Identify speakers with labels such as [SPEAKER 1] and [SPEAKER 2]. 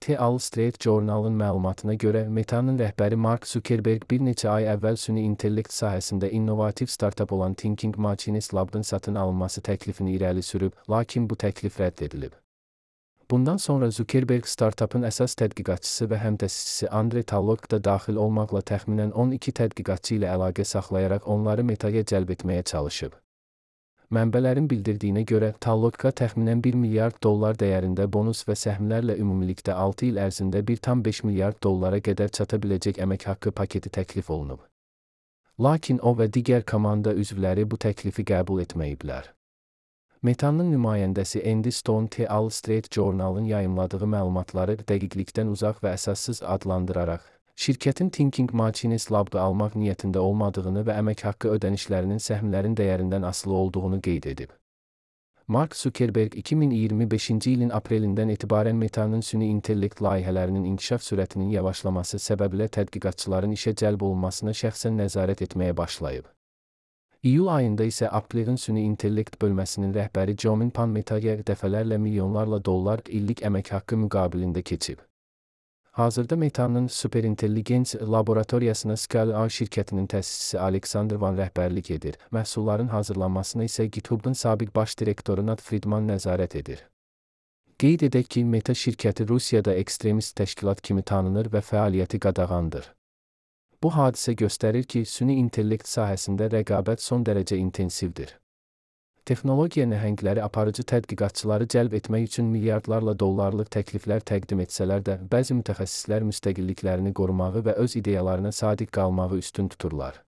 [SPEAKER 1] The Wall Street Journal'ın məlumatına görə Meta'nın rəhbəri Mark Zuckerberg bir neçə ay əvvəl süni intellekt sahəsində innovativ startup olan Thinking Machines Lab'ın satın alınması təklifini irəli sürüb, lakin bu təklif rədd edilib. Bundan sonra Zuckerberg startupın əsas tədqiqatçısı və həmtəsisçisi Andre Talok da daxil olmaqla təxminən 12 tədqiqatçı ilə əlaqə saxlayaraq onları Meta'ya cəlb etməyə çalışıb. Mənbələrin bildirdiyinə görə, Talok'a təxminən $1 milyard dəyərində bonus və səhmlərlə ümumilikdə 6 il ərzində $1,5 milyard qədər çata biləcək əmək haqqı paketi təklif olunub. Lakin o və digər komanda üzvləri bu təklifi qəbul etməyiblər. Meta'nın nümayəndəsi Andy Stone The Wall Street Journal'ın yayımladığı məlumatları dəqiqlikdən uzaq və əsassız adlandıraraq, şirkətin Thinking Machines Lab'ı almaq niyyətində olmadığını və əmək haqqı ödənişlərinin səhmlərin dəyərindən asılı olduğunu qeyd edib. Mark Zuckerberg 2025-ci ilin aprelindən etibarən Meta'nın süni intellekt layihələrinin inkişaf sürətinin yavaşlaması səbəbilə tədqiqatçıların işə cəlb olunmasına şəxsən nəzarət etməyə başlayıb. İyul ayında isə Apple'ın süni intellekt bölməsinin rəhbəri Jomin Pan Meta'ya dəfələrlə milyonlarla dollar illik əmək haqqı müqabilində keçib. Hazırda Meta'nın Superintelligence laboratoriyasına Scale şirkətinin təsisçisi Alexander Van rəhbərlik edir, məhsulların hazırlanmasına isə GitHub'ın sabiq baş direktoru Nat Friedman nəzarət edir. Qeyd edək ki, Meta şirkəti Rusiyada ekstremist təşkilat kimi tanınır və fəaliyyəti qadağandır. Bu hadisə göstərir ki, süni intellekt sahəsində rəqabət son dərəcə intensivdir. Texnologiya nəhəngləri aparıcı tədqiqatçıları cəlb etmək üçün milyardlarla dollarlıq təkliflər təqdim etsələr də, bəzi mütəxəssislər müstəqilliklərini qorumağı və öz ideyalarına sadiq qalmağı üstün tuturlar.